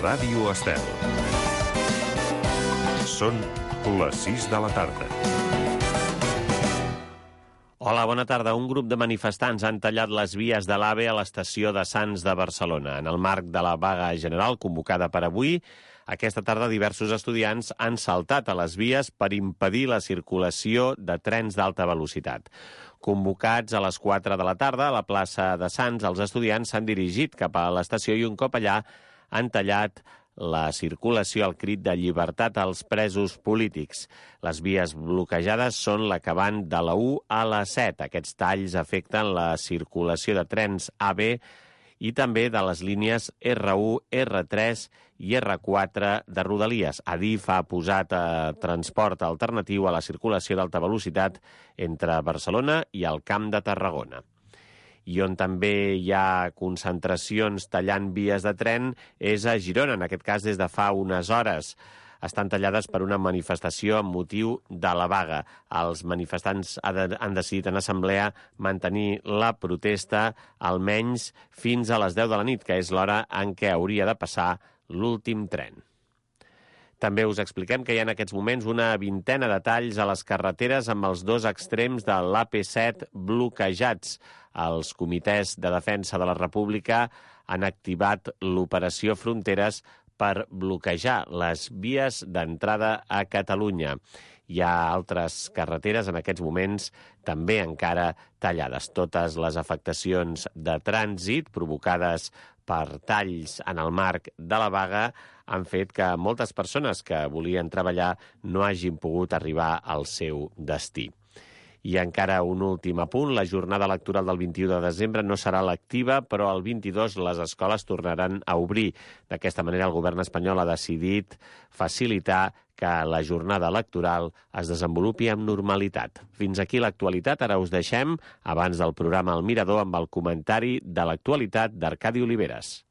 Ràdio Estel. Són les 6 de la tarda. Hola, bona tarda. Un grup de manifestants han tallat les vies de l'AVE a l'estació de Sants de Barcelona. En el marc de la vaga general convocada per avui, aquesta tarda diversos estudiants han saltat a les vies per impedir la circulació de trens d'alta velocitat. Convocats a les 4 de la tarda a la plaça de Sants, els estudiants s'han dirigit cap a l'estació i un cop allà han tallat la circulació al crit de llibertat als presos polítics. Les vies bloquejades són la que van de la 1 a la 7. Aquests talls afecten la circulació de trens AB i també de les línies R1, R3 i R4 de Rodalies. Adif ha posat transport alternatiu a la circulació d'alta velocitat entre Barcelona i el Camp de Tarragona. I on també hi ha concentracions tallant vies de tren és a Girona, en aquest cas des de fa unes hores. Estan tallades per una manifestació amb motiu de la vaga. Els manifestants han decidit en assemblea mantenir la protesta almenys fins a les 10 de la nit, que és l'hora en què hauria de passar l'últim tren. També us expliquem que hi ha en aquests moments una vintena de talls a les carreteres amb els dos extrems de l'AP7 bloquejats. Els comitès de defensa de la República han activat l'operació Fronteres per bloquejar les vies d'entrada a Catalunya. Hi ha altres carreteres en aquests moments també encara tallades. Totes les afectacions de trànsit provocades per talls en el marc de la vaga han fet que moltes persones que volien treballar no hagin pogut arribar al seu destí. I encara un últim apunt, la jornada electoral del 21 de desembre no serà lectiva, però el 22 les escoles tornaran a obrir. D'aquesta manera, el govern espanyol ha decidit facilitar que la jornada electoral es desenvolupi amb normalitat. Fins aquí l'actualitat. Ara us deixem, abans del programa El Mirador, amb el comentari de l'actualitat d'Arcadi Oliveres.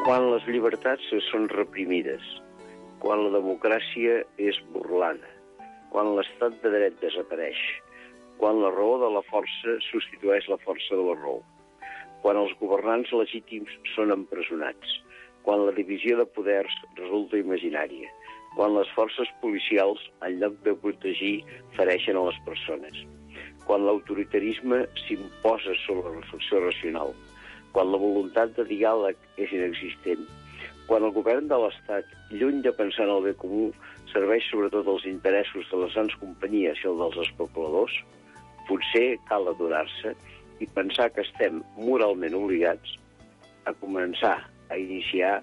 Quan les llibertats són reprimides, quan la democràcia és burlada, quan l'estat de dret desapareix, quan la raó de la força substitueix la força de la raó, quan els governants legítims són empresonats, quan la divisió de poders resulta imaginària, quan les forces policials, en lloc de protegir, fereixen a les persones, quan l'autoritarisme s'imposa sobre la reflexió racional, quan la voluntat de diàleg és inexistent, quan el govern de l'Estat, lluny de pensar en el bé comú, serveix sobretot els interessos de les grans companyies i els dels especuladors, potser cal aturar-se i pensar que estem moralment obligats a començar a iniciar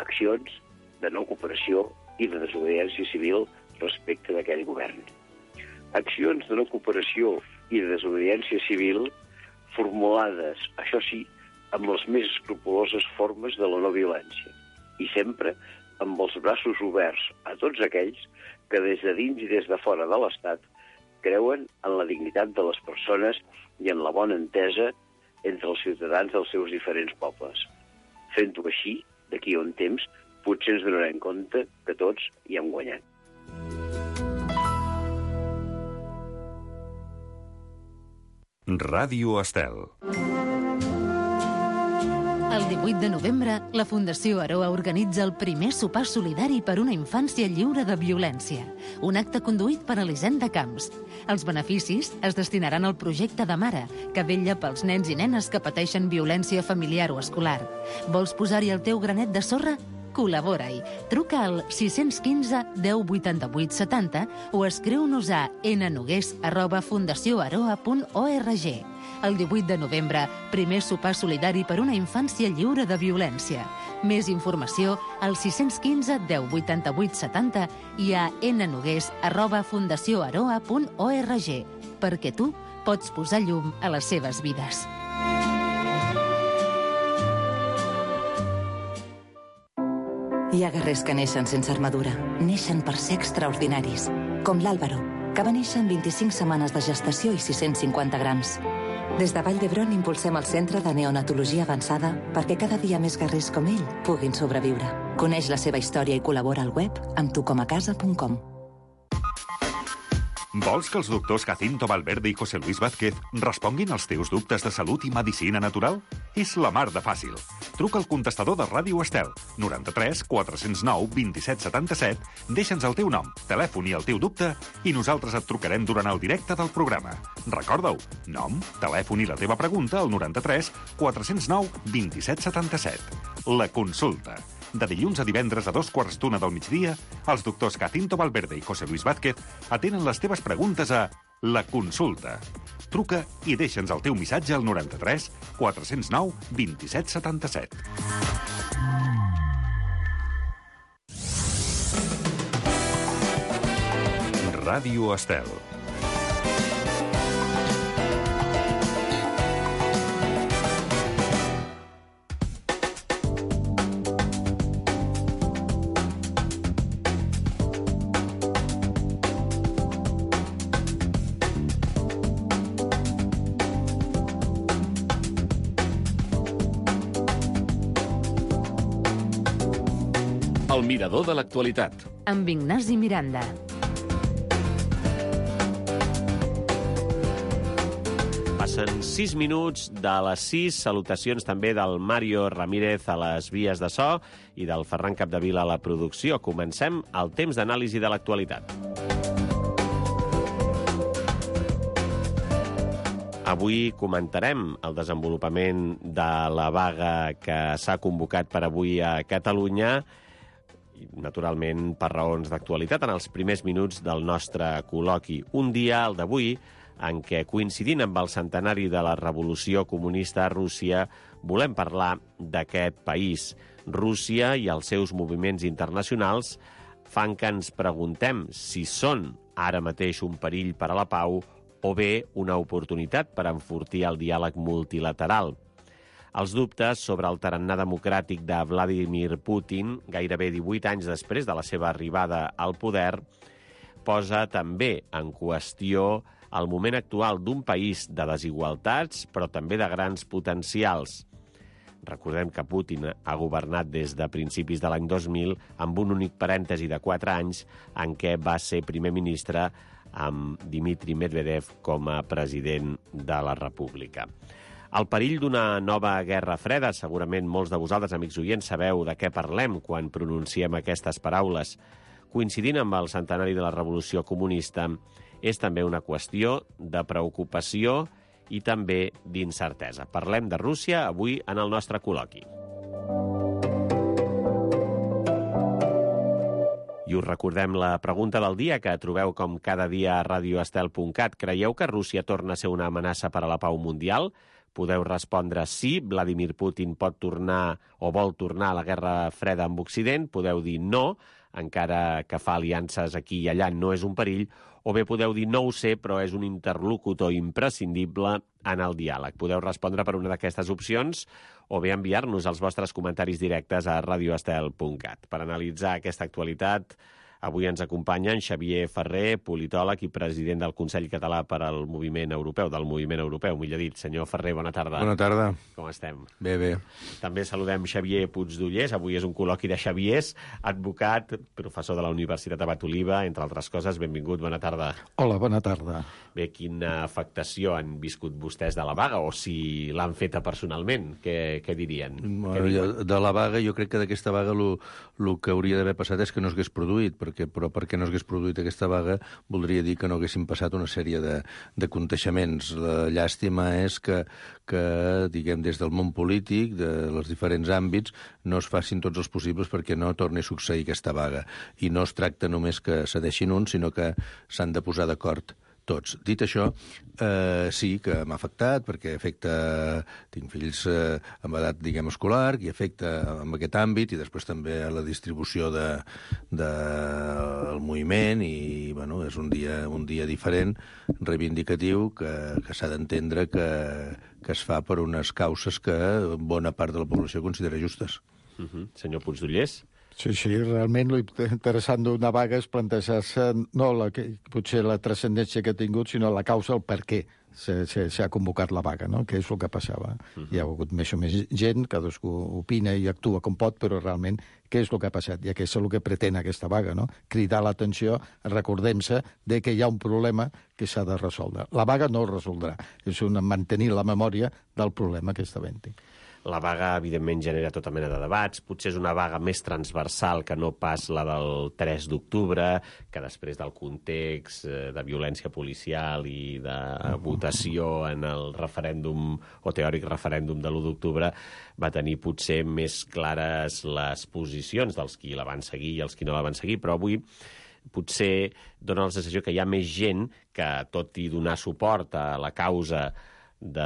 accions de no cooperació i de desobediència civil respecte d'aquell govern. Accions de no cooperació i de desobediència civil formulades, això sí, amb les més escrupoloses formes de la no violència i sempre amb els braços oberts a tots aquells que des de dins i des de fora de l'Estat creuen en la dignitat de les persones i en la bona entesa entre els ciutadans dels seus diferents pobles. Fent-ho així, d'aquí a un temps, potser ens donarem compte que tots hi hem guanyat. Ràdio Estel. El 18 de novembre, la Fundació Aroa organitza el primer sopar solidari per una infància lliure de violència, un acte conduït per Elisenda Camps. Els beneficis es destinaran al projecte de Mare, que vetlla pels nens i nenes que pateixen violència familiar o escolar. Vols posar-hi el teu granet de sorra? Col·labora-hi. Truca al 615 10 88 70 o escriu-nos a nnogués@fundacioaroa.org. El 18 de novembre, primer sopar solidari per una infància lliure de violència. Més informació al 615 10 88 70 i a nnogués@fundacioaroa.org, perquè tu pots posar llum a les seves vides. Hi ha guerrers que neixen sense armadura. Neixen per ser extraordinaris, com l'Àlvaro, que va néixer en 25 setmanes de gestació i 650 grams. Des de Vall d'Hebron impulsem el Centre de Neonatologia Avançada perquè cada dia més guerrers com ell puguin sobreviure. Coneix la seva història i col·labora al web amb tucomacasa.com. Vols que els doctors Jacinto Valverde i José Luis Vázquez responguin als teus dubtes de salut i medicina natural? És la mar de fàcil. Truca al contestador de Ràdio Estel, 93 409 27 77, deixa'ns el teu nom, telèfon i el teu dubte i nosaltres et trucarem durant el directe del programa. Recorda-ho, nom, telèfon i la teva pregunta al 93 409 27 77. La consulta. De dilluns a divendres a 2:15 del migdia, els doctors Jacinto Valverde i José Luis Vázquez atenen les teves preguntes a La Consulta. Truca i deixa'ns el teu missatge al 93 409 27 77. Ràdio Estel. El mirador de l'actualitat. Amb Ignasi Miranda. Passen 6 minuts de les 6. Salutacions també del Mario Ramírez a les vies de so i del Ferran Capdevila a la producció. Comencem el temps d'anàlisi de l'actualitat. Avui comentarem el desenvolupament de la vaga que s'ha convocat per avui a Catalunya, naturalment per raons d'actualitat, en els primers minuts del nostre col·loqui. Un dia, el d'avui, en què, coincidint amb el centenari de la Revolució Comunista a Rússia, volem parlar d'aquest país. Rússia i els seus moviments internacionals fan que ens preguntem si són ara mateix un perill per a la pau o bé una oportunitat per enfortir el diàleg multilateral. Els dubtes sobre el tarannà democràtic de Vladimir Putin, gairebé 18 anys després de la seva arribada al poder, posa també en qüestió el moment actual d'un país de desigualtats, però també de grans potencials. Recordem que Putin ha governat des de principis de l'any 2000 amb un únic parèntesi de 4 anys en què va ser primer ministre amb Dmitry Medvedev com a president de la República. El perill d'una nova guerra freda, segurament molts de vosaltres, amics oients, sabeu de què parlem quan pronunciem aquestes paraules. Coincidint amb el centenari de la Revolució Comunista, és també una qüestió de preocupació i també d'incertesa. Parlem de Rússia avui en el nostre col·loqui. I us recordem la pregunta del dia que trobeu com cada dia a radioestel.cat. Creieu que Rússia torna a ser una amenaça per a la pau mundial? Podeu respondre sí, Vladimir Putin pot tornar o vol tornar a la guerra freda amb Occident. Podeu dir no, encara que fa aliances aquí i allà no és un perill. O bé podeu dir no ho sé, però és un interlocutor imprescindible en el diàleg. Podeu respondre per una d'aquestes opcions o bé enviar-nos els vostres comentaris directes a radioestel.cat. Per analitzar aquesta actualitat, avui ens acompanya en Xavier Ferrer, politòleg i president del Consell Català per al Moviment Europeu, millor dit. Senyor Ferrer, bona tarda. Bona tarda. Com estem? Bé, bé. També saludem Xavier Puigdollers. Avui és un col·loqui de Xaviers, advocat, professor de la Universitat Abat Oliva, entre altres coses. Benvingut, bona tarda. Hola, bona tarda. Bé, quina afectació han viscut vostès de la vaga, o si l'han feta personalment? Què dirien? De la vaga, jo crec que d'aquesta vaga el que hauria d'haver passat és que no s'hagués produït, però perquè no s'hagués produït aquesta vaga voldria dir que no haguessin passat una sèrie de conteixements. La llàstima és que diguem, des del món polític, de els diferents àmbits, no es facin tots els possibles perquè no torni a succeir aquesta vaga. I no es tracta només que cedeixin uns, sinó que s'han de posar d'acord tots. Dit això, sí que m'ha afectat, perquè tinc fills amb edat, diguem, escolar, i afecta en aquest àmbit, i després també a la distribució del moviment, i bueno, és un dia diferent, reivindicatiu, que s'ha d'entendre que es fa per unes causes que bona part de la població considera justes. Senyor Puigdollers? Sí, realment l'interessant d'una vaga és plantejar-se no potser la transcendència que ha tingut, sinó la causa, el per què s'ha convocat la vaga, no? Què és el que passava. Hi ha hagut més o més gent, cadascú opina i actua com pot, però realment què és el que ha passat? I aquest és el que pretén aquesta vaga, no? Cridar l'atenció, recordem-se de que hi ha un problema que s'ha de resoldre. La vaga no el resoldrà, és mantenir la memòria del problema que està havent-hi. La vaga, evidentment, genera tota mena de debats. Potser és una vaga més transversal que no pas la del 3 d'octubre, que després del context de violència policial i de votació en el referèndum, o teòric referèndum de l'1 d'octubre, va tenir potser més clares les posicions dels qui la van seguir i els qui no la van seguir, però avui potser dona la sensació que hi ha més gent que, tot i donar suport a la causa de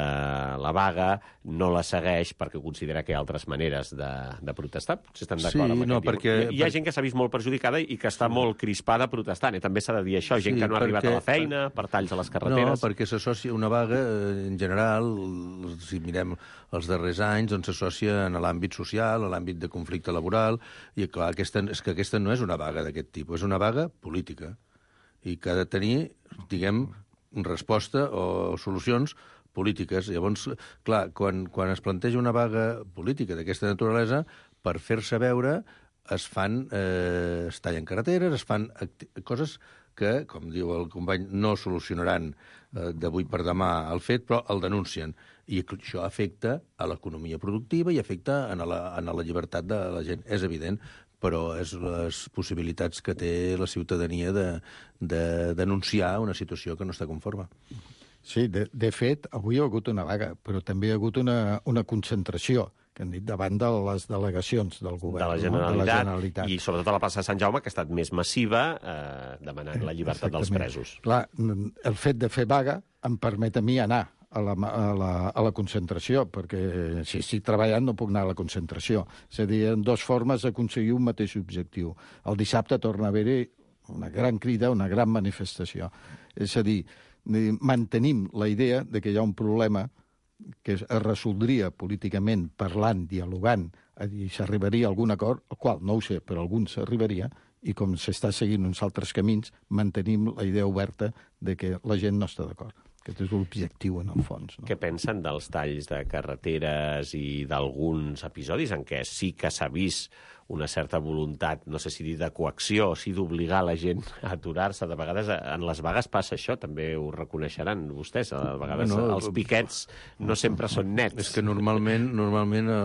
la vaga, no la segueix perquè considera que hi ha altres maneres de protestar. Potser estan d'acord amb aquest. Hi ha gent que s'ha vist molt perjudicada i que està molt crispada protestant. També s'ha de dir això, gent que no ha arribat a la feina, per talls a les carreteres. No, perquè s'associa una vaga, en general, si mirem els darrers anys, doncs s'associa en l'àmbit social, a l'àmbit de conflicte laboral, i clar, és que aquesta no és una vaga d'aquest tipus, és una vaga política, i que ha de tenir, diguem, resposta o solucions polítiques. Llavors, clar, quan es planteja una vaga política d'aquesta naturalesa, per fer-se veure es tallen carreteres, es fan coses que, com diu el company, no solucionaran d'avui per demà el fet, però el denuncien. I això afecta a l'economia productiva i afecta a la llibertat de la gent. És evident, però és les possibilitats que té la ciutadania de denunciar una situació que no està conforme. Sí, de fet, avui hi ha hagut una vaga, però també hi ha hagut una concentració, que han dit, davant de les delegacions del govern. De la Generalitat. I sobretot a la plaça de Sant Jaume, que ha estat més massiva, demanant la llibertat dels presos. Clar, el fet de fer vaga em permet a mi anar a la concentració, perquè si estic treballant no puc anar a la concentració. És a dir, hi ha dues formes d'aconseguir un mateix objectiu. El dissabte torna a haver-hi una gran crida, una gran manifestació. És a dir, mantenim la idea de que hi ha un problema que es resoldria políticament, parlant, dialogant, i s'arribaria a algun acord, el qual no ho sé, però algun s'arribaria, i com s'està seguint uns altres camins, mantenim la idea oberta de que la gent no està d'acord. Aquest és l'objectiu, en el fons. No? Què pensen dels talls de carreteres i d'alguns episodis en què sí que s'ha vist una certa voluntat, no sé si dir de coacció o si d'obligar la gent a aturar-se? De vegades en les vagues passa això, també ho reconeixeran vostès. A vegades els piquets no sempre són nets. És que normalment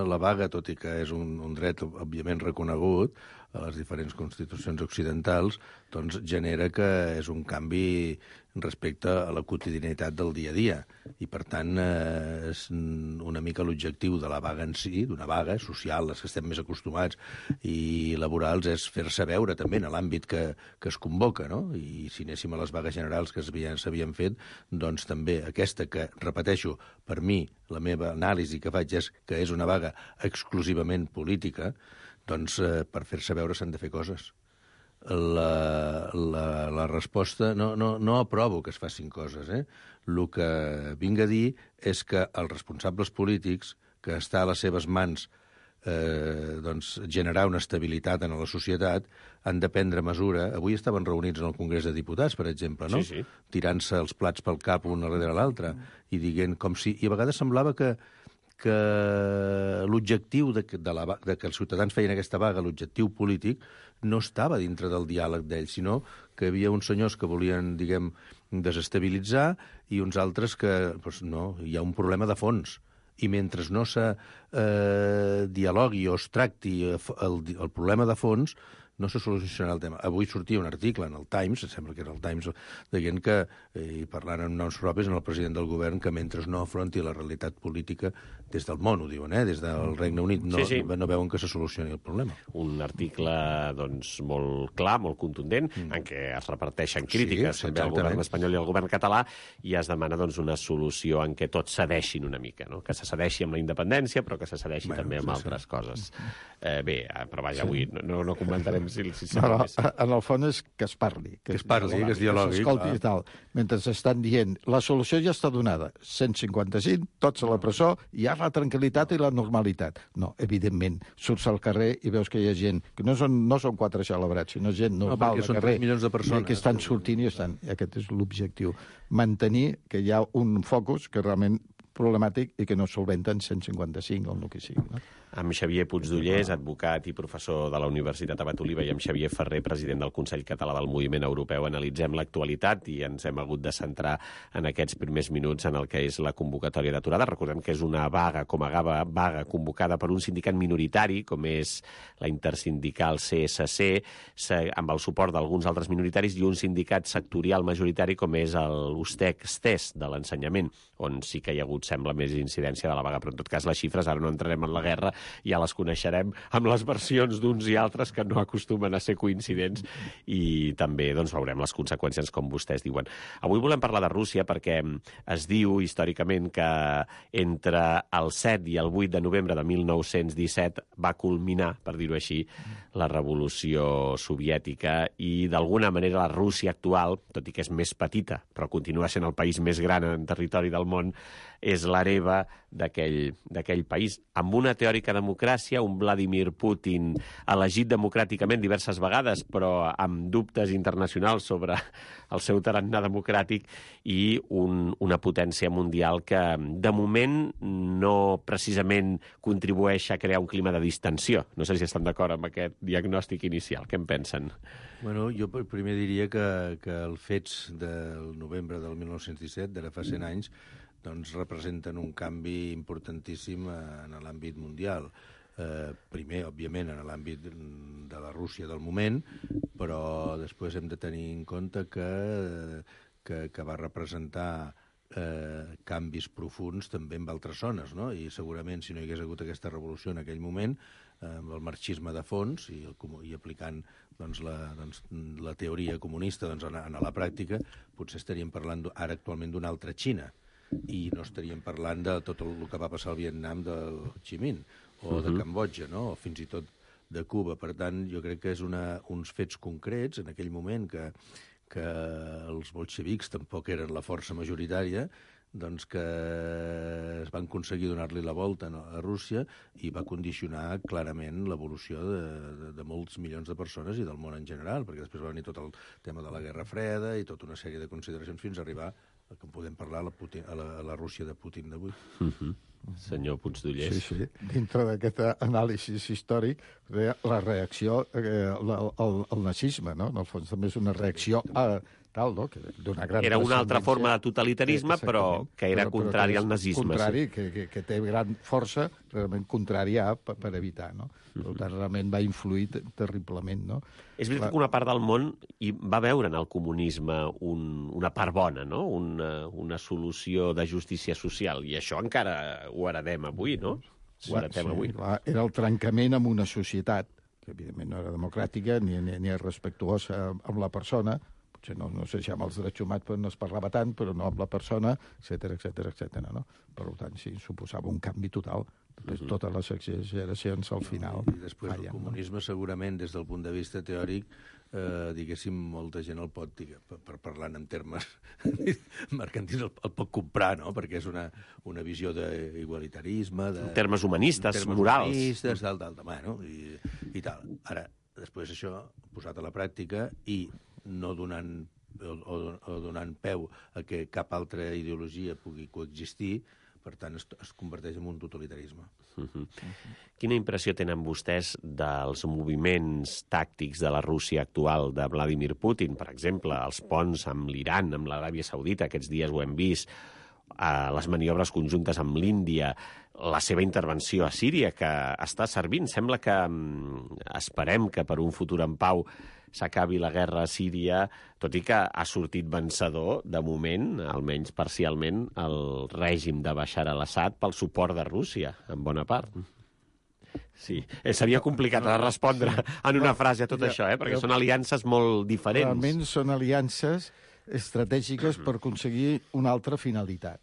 la vaga, tot i que és un dret òbviament reconegut a les diferents constitucions occidentals, doncs genera que és un canvi respecte a la quotidianitat del dia a dia. I, per tant, és una mica l'objectiu de la vaga en si, d'una vaga social, les que estem més acostumats, i laborals, és fer-se veure també en l'àmbit que es convoca, no? I si anéssim a les vagues generals que s'havien fet, doncs també aquesta que, repeteixo, per mi, la meva anàlisi que faig és que és una vaga exclusivament política, doncs per fer-se veure s'han de fer coses. La resposta... No aprovo que es facin coses, eh? El que vinc a dir és que els responsables polítics, que està a les seves mans doncs, generar una estabilitat en la societat, han de prendre mesura. Avui estaven reunits en el Congrés de Diputats, per exemple, no? Sí. Tirant-se els plats pel cap un darrere l'altre i dient com si... I a vegades semblava que l'objectiu de que els ciutadans feien aquesta vaga, l'objectiu polític, no estava dintre del diàleg d'ells, sinó que hi havia uns senyors que volien, diguem, desestabilitzar i uns altres que, doncs no, hi ha un problema de fons. I mentre no se dialogui o es tracti el problema de fons, no se solucionarà el tema. Avui sortia un article en el Times, sembla que era el Times, dient que, i parlant amb noms propis, en el president del govern, que mentre no afronti la realitat política des del món, ho diuen, des del Regne Unit, no veuen que se solucioni el problema. Un article, doncs, molt clar, molt contundent, en què es reparteixen crítiques també al govern espanyol i al govern català, i es demana, doncs, una solució en què tots cedeixin una mica, no? Que se cedeixi amb la independència, però que se cedeixi també amb altres coses. Bé, però vaja, avui no comentarem aviam si No, en el fons és que es parli. Que es dialogui. Que s'escolti i tal. Mentre estan dient, la solució ja està donada. 155, tots a la presó, hi ha la tranquil·litat i la normalitat. No, evidentment, surts al carrer i veus que hi ha gent, que no són quatre celebrats, sinó gent normal al carrer. Són 3 milions de persones. Que estan sortint i estan. Aquest és l'objectiu. Mantenir que hi ha un focus que realment problemàtic i que no solventen 155 o el que sigui. No? Amb Xavier Puigdollers, advocat i professor de la Universitat Abat Oliva, i amb Xavier Ferrer, president del Consell Català del Moviment Europeu, analitzem l'actualitat i ens hem hagut de centrar en aquests primers minuts en el que és la convocatòria d'aturada. Recordem que és una vaga convocada per un sindicat minoritari, com és la intersindical CSC, amb el suport d'alguns altres minoritaris, i un sindicat sectorial majoritari, com és l'USTEC-STES de l'ensenyament, on sí que hi ha hagut, sembla, més incidència de la vaga. Però, en tot cas, les xifres, ara no entrarem en la guerra, ja les coneixerem amb les versions d'uns i altres que no acostumen a ser coincidents, i també doncs, veurem les conseqüències, com vostès diuen. Avui volem parlar de Rússia perquè es diu històricament que entre el 7 i el 8 de novembre de 1917 va culminar, per dir-ho així, la revolució soviètica, i d'alguna manera la Rússia actual, tot i que és més petita, però continua sent el país més gran en territori del món, és l'hereva d'aquell país, amb una teòrica democràcia, un Vladimir Putin elegit democràticament diverses vegades, però amb dubtes internacionals sobre el seu tarannà democràtic, i una potència mundial que, de moment, no precisament contribueix a crear un clima de distensió. No sé si estan d'acord amb aquest diagnòstic inicial. Què en pensen? Bueno, jo primer diria que els fets del novembre del 1917, d'ara fa 100 anys, doncs representen un canvi importantíssim en l'àmbit mundial. Primer, òbviament, en l'àmbit de la Rússia del moment, però després hem de tenir en compte que va representar canvis profuns també en altres zones, no? I segurament, si no hi hagués hagut aquesta revolució en aquell moment, amb el marxisme de fons i aplicant la teoria comunista a la pràctica, potser estaríem parlant ara actualment d'una altra Xina, i no estaríem parlant de tot el que va passar al Vietnam del Ho Chi Minh, o de Cambodja, no? O fins i tot de Cuba. Per tant, jo crec que és uns fets concrets en aquell moment que els bolxevics tampoc eren la força majoritària, doncs que es van aconseguir donar-li la volta a Rússia, i va condicionar clarament l'evolució de molts milions de persones i del món en general, perquè després va venir tot el tema de la Guerra Freda i tota una sèrie de consideracions fins a arribar que podem parlar a la Rússia de Putin d'avui. Senyor Puigdollers. Sí. Dintre d'aquest anàlisi històric, la reacció al nazisme, no? En el fons també és una reacció a tal, no? Era una altra forma de totalitarisme, però que era contrari al nazisme. Contrari, que té gran força, realment contrària per evitar, no? Per tant, realment va influir terriblement, no? És veritat que una part del món hi va veure en el comunisme una part bona, no? Una solució de justícia social, i això encara ho heredem avui, no? Ho heredem avui. Era el trencament amb una societat que, evidentment, no era democràtica ni respectuosa amb la persona. No sé si amb els drets humans no es parlava tant, però no amb la persona, etcètera, no? Per tant, sí, suposava un canvi total. Després, totes les exageracions al final. I després el comunisme, segurament, des del punt de vista teòric, diguéssim, molta gent el pot, per parlar en termes mercantils, el pot comprar, no? Perquè és una visió d'igualitarisme... En termes humanistes, morals. Humanistes, tal, i tal. Ara, després això, posat a la pràctica, i no donant peu a que cap altra ideologia pugui coexistir, per tant, es converteix en un totalitarisme. Quina impressió tenen vostès dels moviments tàctics de la Rússia actual de Vladimir Putin? Per exemple, els ponts amb l'Iran, amb l'Aràbia Saudita, aquests dies ho hem vist, les maniobres conjuntes amb l'Índia, la seva intervenció a Síria, que està servint. Sembla que esperem que per un futur en pau s'acabi la guerra a Síria, tot i que ha sortit vencedor, de moment, almenys parcialment, el règim de Bashar al-Assad pel suport de Rússia, en bona part. Sí, seria complicat de respondre en una frase a tot això, perquè són aliances molt diferents. Realment són aliances estratègiques per aconseguir una altra finalitat.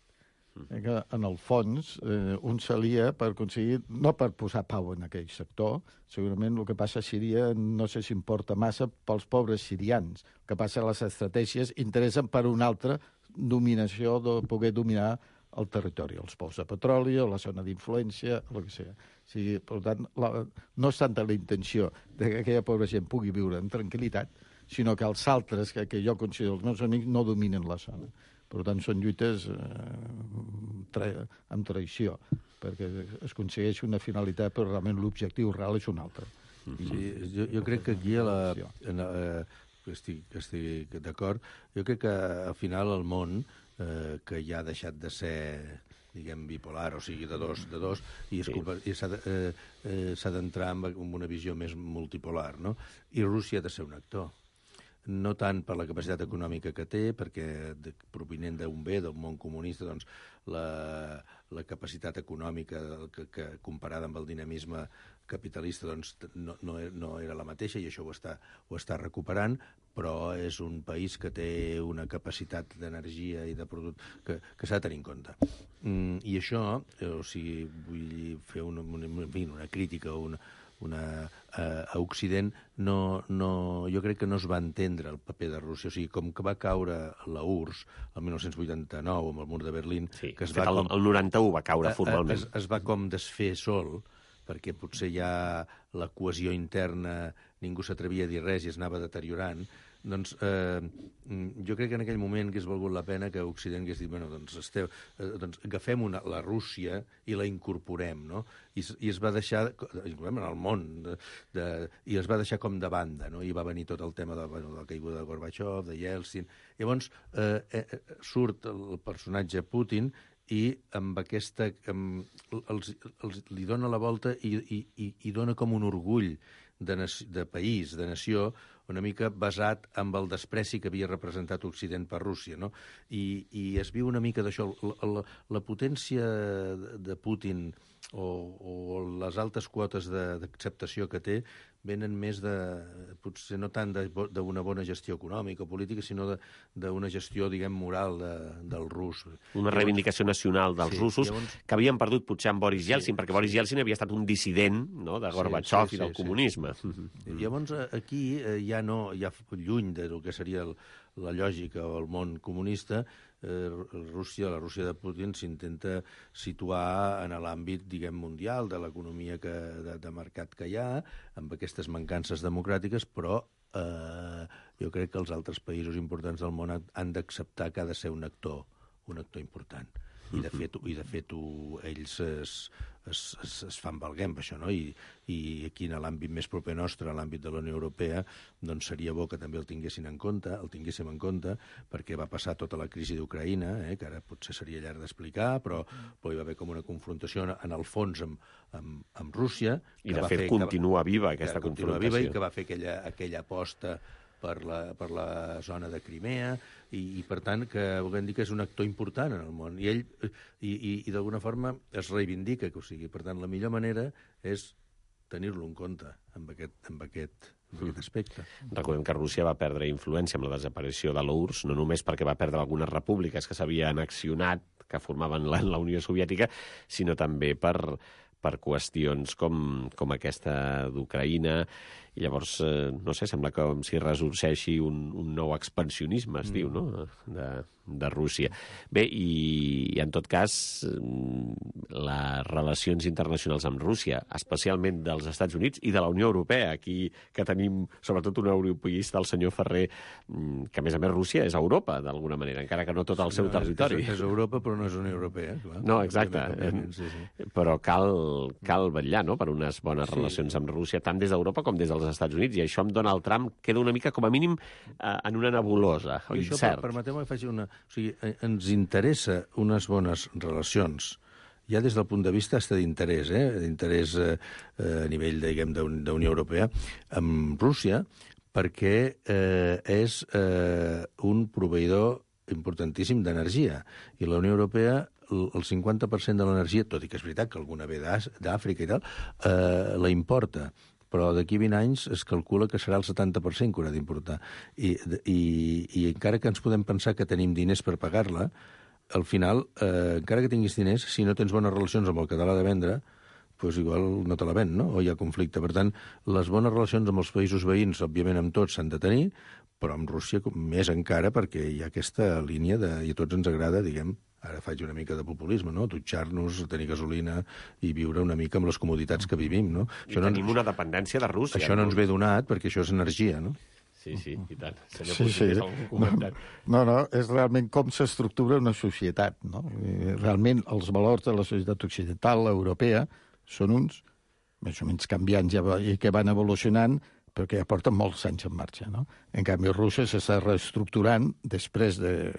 Que en el fons un s'alia per aconseguir, no per posar pau en aquell sector, segurament el que passa a Síria no sé si importa massa pels pobres sirians. El que passa a les estratègies interessen per una altra dominació, de poder dominar el territori, els pous de petroli, o la zona d'influència, el que sigui. O sigui, per tant, no és tanta la intenció que aquella pobra gent pugui viure amb tranquil·litat, sinó que els altres, que jo considero els meus amics, no dominen la zona. Per tant, són lluites amb traïció, perquè es aconsegueix una finalitat, però realment l'objectiu real és un altre. Sí, jo crec que aquí estic d'acord. Jo crec que al final el món, que ja ha deixat de ser, diguem, bipolar, o sigui, de dos, i s'ha d'entrar en una visió més multipolar, no? I Rússia ha de ser un actor. No tant per la capacitat econòmica que té, perquè provinent d'un bé, d'un món comunista, doncs la capacitat econòmica que comparada amb el dinamisme capitalista doncs no era la mateixa, i això ho està recuperant, però és un país que té una capacitat d'energia i de producte que s'ha de tenir en compte. I això, o sigui, vull fer una crítica o a Occident, jo crec que no es va entendre el paper de Rússia. O sigui, com que va caure la URSS el 1989 amb el mur de Berlín... Sí, que el 91 va caure formalment. Es va com desfer sol, perquè potser ja la cohesió interna, ningú s'atrevia a dir res i es anava deteriorant. Doncs jo crec que en aquell moment hagués valgut la pena que Occident hagués dit, bueno, doncs agafem la Rússia i la incorporem, no? I es va deixar, incorporem en el món, i es va deixar com de banda, no? I va venir tot el tema de la caiguda de Gorbachev, de Yeltsin. Llavors surt el personatge Putin i amb aquesta... li dona la volta i dona com un orgull de país, de nació, una mica basat en el despreci que havia representat Occident per Rússia, no? I es viu una mica d'això. La potència de Putin o les altes quotes d'acceptació que té venen més potser no tant d'una bona gestió econòmica o política, sinó d'una gestió, diguem, moral del rus. Una reivindicació nacional dels russos, que havien perdut potser amb Boris Yeltsin, perquè Boris Yeltsin havia estat un dissident, no?, de Gorbachev i del comunisme. Llavors, aquí ja lluny del que seria la lògica o el món comunista, la Rússia de Putin s'intenta situar en l'àmbit, diguem, mundial de l'economia de mercat que hi ha, amb aquestes mancances democràtiques, però jo crec que els altres països importants del món han d'acceptar que ha de ser un actor important. I de fet ells es fan valguer amb això, no? I aquí en l'àmbit més proper nostre, a l'àmbit de la Unió Europea, doncs seria bo que també el tinguéssim en compte, perquè va passar tota la crisi d'Ucraïna, que ara potser seria llarg d'explicar, però hi va haver com una confrontació en el fons amb Rússia. I de fet continua viva aquesta confrontació. I que va fer aquella aposta per la zona de Crimea, i per tant que volem dir que és un actor important en el món, i ell d'alguna forma es reivindica, o sigui, per tant la millor manera és tenir-lo en compte amb aquest aspecte. Recordem que Rússia va perdre influència amb la desaparició de l'URSS, no només perquè va perdre algunes repúbliques que s'havien annexionat, que formaven la Unió Soviètica, sinó també per qüestions com aquesta d'Ucraïna. I llavors, no sé, sembla com si ressorgeixi un nou expansionisme, es diu, no?, de Rússia. Bé, i en tot cas, les relacions internacionals amb Rússia, especialment dels Estats Units i de la Unió Europea, aquí que tenim sobretot un europeista, el senyor Ferrer, que a més Rússia és Europa, d'alguna manera, encara que no tot el seu territori. És Europa, però no és Unió Europea, clar. No, exacte. Però cal vetllar, no?, per unes bones relacions amb Rússia, tant des d'Europa com des dels Estats Units, i això amb Donald Trump queda una mica, com a mínim, en una nebulosa, o incert. Permeteu-me que faci una... O sigui, ens interessa unes bones relacions, ja des del punt de vista d'interès, d'interès a nivell, diguem, d'Unió Europea, amb Rússia, perquè és un proveïdor importantíssim d'energia, i la Unió Europea el 50% de l'energia, tot i que és veritat que alguna ve d'Àfrica i tal, la importa, però d'aquí 20 anys es calcula que serà el 70% que haurà d'importar. I encara que ens podem pensar que tenim diners per pagar-la, al final, encara que tinguis diners, si no tens bones relacions amb el que te l'ha de vendre, doncs igual no te la ven, no? O hi ha conflicte. Per tant, les bones relacions amb els països veïns, òbviament amb tots, s'han de tenir, però amb Rússia més encara, perquè hi ha aquesta línia i a tots ens agrada, diguem, ara faig una mica de populisme, no? Dutxar-nos, tenir gasolina i viure una mica amb les comoditats que vivim, no? I tenim una dependència de Rússia. Això no ens ve donat, perquè això és energia, no? Sí, i tant. Senyor Puig, algun comentari? No, és realment com s'estructura una societat, no? Realment, els valors de la societat occidental, europea, són uns, més o menys canviants i que van evolucionant, però que ja porten molts anys en marxa, no? En canvi, Rússia s'està reestructurant després de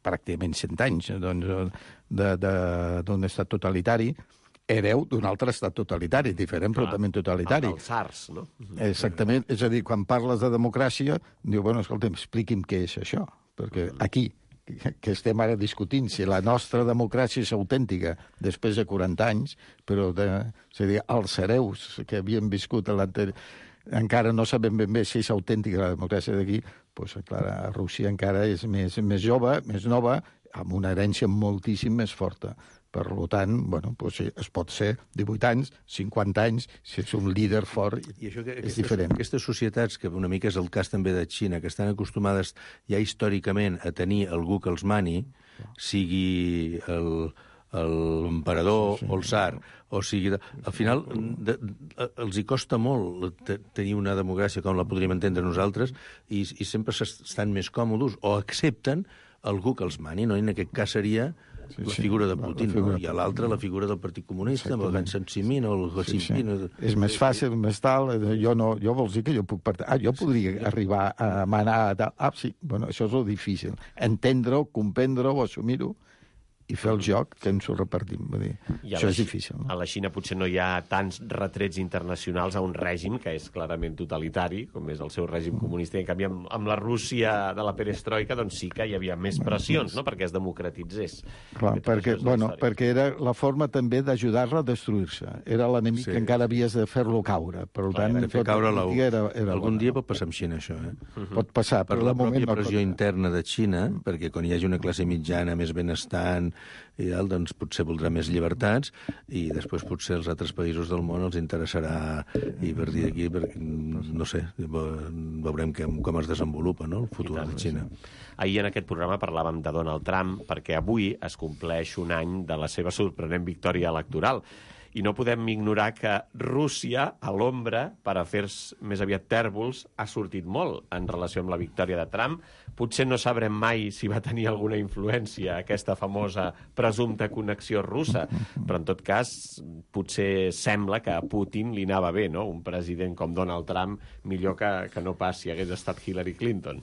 pràcticament 100 anys d'un estat totalitari, hereu d'un altre estat totalitari, diferent, però també totalitari. Els SARS, no? Exactament. És a dir, quan parles de democràcia, diu, bueno, escolta'm, expliqui'm què és això. Perquè aquí, que estem ara discutint si la nostra democràcia és autèntica després de 40 anys, però és a dir, els hereus que havien viscut encara no sabem ben bé si és autèntica la democràcia d'aquí, doncs, clar, a Rússia encara és més jove, més nova, amb una herència moltíssim més forta. Per tant, bueno, doncs es pot ser 18 anys, 50 anys, si és un líder fort, I això és diferent. Aquestes societats, que una mica és el cas també de Xina, que estan acostumades ja històricament a tenir algú que els mani, sigui l'emperador o el tsar, o sigui... Al final, els hi costa molt tenir una democràcia com la podríem entendre nosaltres i sempre estan més còmodes o accepten algú que els mani, no? I en aquest cas seria la figura de Putin, no? I a l'altre la figura del Partit Comunista, amb el Gan Sansimin o el Xinping. És més fàcil, més tal, jo vols dir que jo puc jo podria arribar a manar... Sí, bueno, això és el difícil. Entendre-ho, comprendre-ho, assumir-ho, i fer el joc que ens ho repartim. Això és difícil. No? A la Xina potser no hi ha tants retrets internacionals a un règim que és clarament totalitari, com és el seu règim comunista, i en canvi amb la Rússia de la perestroika doncs sí que hi havia més pressions, no?, perquè es democratitzés. Clar, perquè era la forma també d'ajudar-la a destruir-se. Era l'enemic que encara havies de fer-lo caure. Per tant, de fer caure algun dia pot passar amb Xina, això. Pot passar, per la pròpia pressió interna de Xina, perquè quan hi hagi una classe mitjana més benestant i tal, doncs potser voldrà més llibertats i després potser als altres països del món els interessarà, i a partir d'aquí, no sé, veurem com es desenvolupa, no?, el futur de Xina. Ahir en aquest programa parlàvem de Donald Trump perquè avui es compleix un any de la seva sorprenent victòria electoral. I no podem ignorar que Rússia, a l'ombra, per afers més aviat tèrbols, ha sortit molt en relació amb la victòria de Trump. Potser no sabrem mai si va tenir alguna influència aquesta famosa presumpta connexió russa, però en tot cas potser sembla que a Putin li anava bé, no? Un president com Donald Trump millor que no pas si hagués estat Hillary Clinton.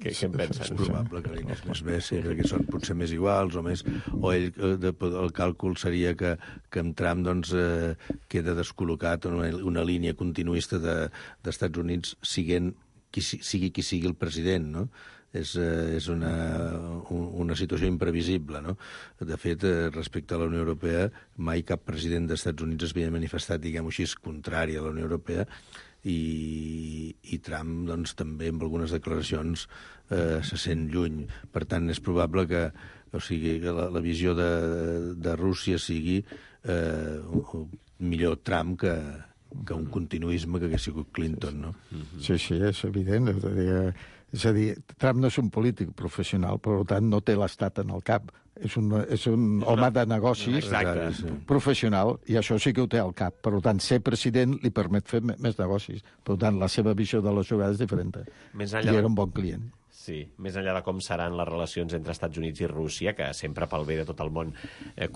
Què en pensen? És probable que li anés més bé, sí, perquè són potser més iguals o el càlcul seria que amb Trump doncs, queda descol·locat una línia continuista d'Estats Units sigui qui sigui el president, no? És una situació imprevisible, no? De fet, respecte a la Unió Europea, mai cap president d'Estats Units es havia manifestat, diguem-ho així, contrari a la Unió Europea, i Trump doncs, també amb algunes declaracions se sent lluny. Per tant, és probable que la visió de Rússia sigui millor Trump que un continuisme que hagués sigut Clinton, no? Sí, és evident. És a dir, Trump no és un polític professional, per tant no té l'estat en el cap. És un home de negocis professional, i això sí que ho té al cap. Per tant, ser president li permet fer més negocis. Per tant, la seva visió de la jugada és diferent. I era un bon client. Sí, més enllà de com seran les relacions entre Estats Units i Rússia, que sempre pel bé de tot el món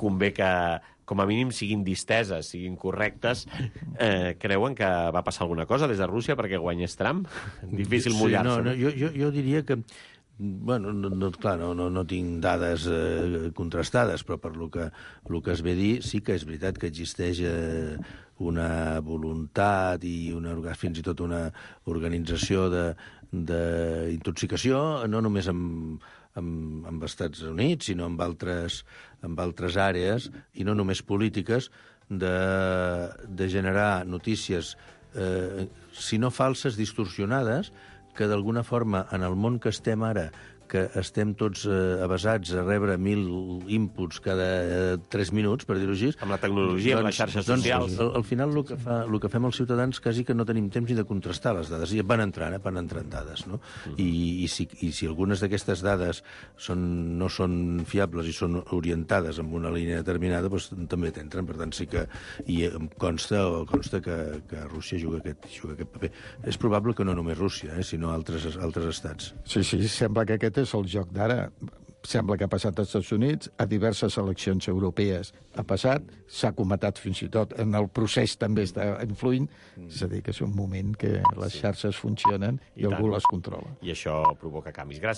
convé que, com a mínim, siguin disteses, siguin correctes, creuen que va passar alguna cosa des de Rússia perquè guanyés Trump? Difícil mullar-se. Jo diria que bueno, clar, no tinc dades contrastades, però per lo que es ve dir, sí que és veritat que existeix una voluntat i fins i tot una organització d'intoxicació, no només amb Estats Units, sinó amb altres àrees, i no només polítiques, de generar notícies, si no falses, distorsionades, que d'alguna forma, en el món que estem ara, que estem tots avasats a rebre 1.000 inputs cada 3 minuts, per dir-ho així... Amb la tecnologia, amb les xarxes socials... Al final el que fem els ciutadans quasi que no tenim temps ni de contrastar les dades. I van entrant dades, no? I si algunes d'aquestes dades no són fiables i són orientades en una línia determinada, doncs també t'entren. Per tant, sí que... I em consta que Rússia juga aquest paper. És probable que no només Rússia, sinó altres estats. Sí, sembla que aquest és el joc d'ara. Sembla que ha passat als Estats Units, a diverses eleccions europees ha passat, s'ha comentat fins i tot, en el procés també està influint, és a dir, que és un moment que les xarxes funcionen i algú les controla. I això provoca canvis. Gràcies.